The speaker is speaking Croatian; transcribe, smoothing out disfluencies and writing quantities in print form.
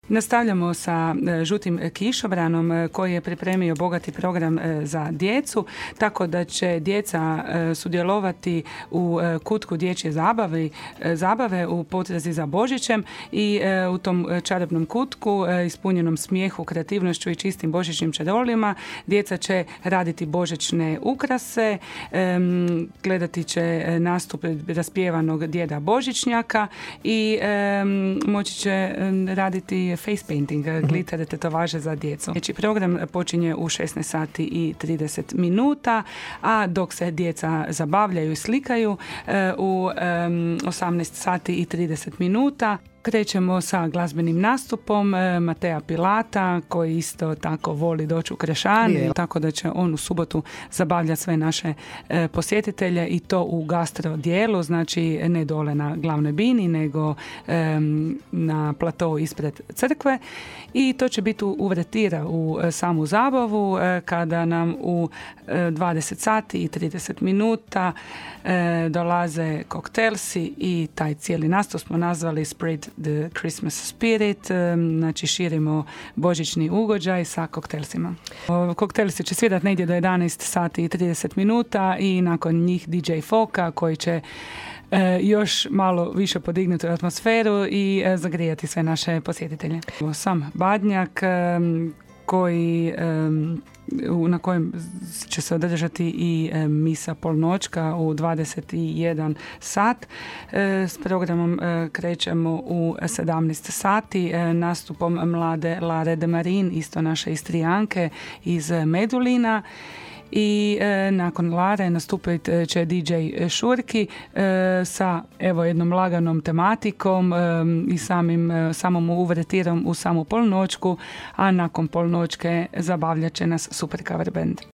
Nastavljamo sa Žutim kišobranom koji je pripremio bogati program za djecu, tako da će djeca sudjelovati u kutku dječje zabave u potrazi za Božićem i u tom čarobnom kutku ispunjenom smijehu, kreativnošću i čistim božićnim čarolima djeca će raditi božićne ukrase, gledati će nastup raspjevanog djeda Božićnjaka i moći će raditi face painting, glitter tetovaže za djecu. Znači, program počinje u 16 sati i 30 minuta, a dok se djeca zabavljaju i slikaju u 18 sati i 30 minuta krećemo sa glazbenim nastupom Matea Pilata, koji isto tako voli doći u Krešan, tako da će on u subotu zabavljati sve naše posjetitelje i to u gastro dijelu, znači ne dole na glavnoj bini, nego na platou ispred crkve, i to će biti uvertira u samu zabavu kada nam u 20 sati i 30 minuta dolaze koktelsi i taj cijeli nastup smo nazvali Spread the Christmas Spirit, znači širimo božićni ugođaj sa koktelsima. Koktelsi će svirati negdje do 11 sati i 30 minuta i nakon njih DJ Foka koji će još malo više podignuti atmosferu i zagrijati sve naše posjetitelje. Sam Badnjak na kojem će se održati i misa polnoćka u 21 sat. S programom krećemo u 17 sati nastupom mlade Lare de Marin, isto naše Istrijanke iz Medulina. I nakon Lare nastupit će DJ Šurki sa jednom laganom tematikom i samom uvretirom u samu polnoćku, a nakon polnoćke zabavljat će nas super cover band.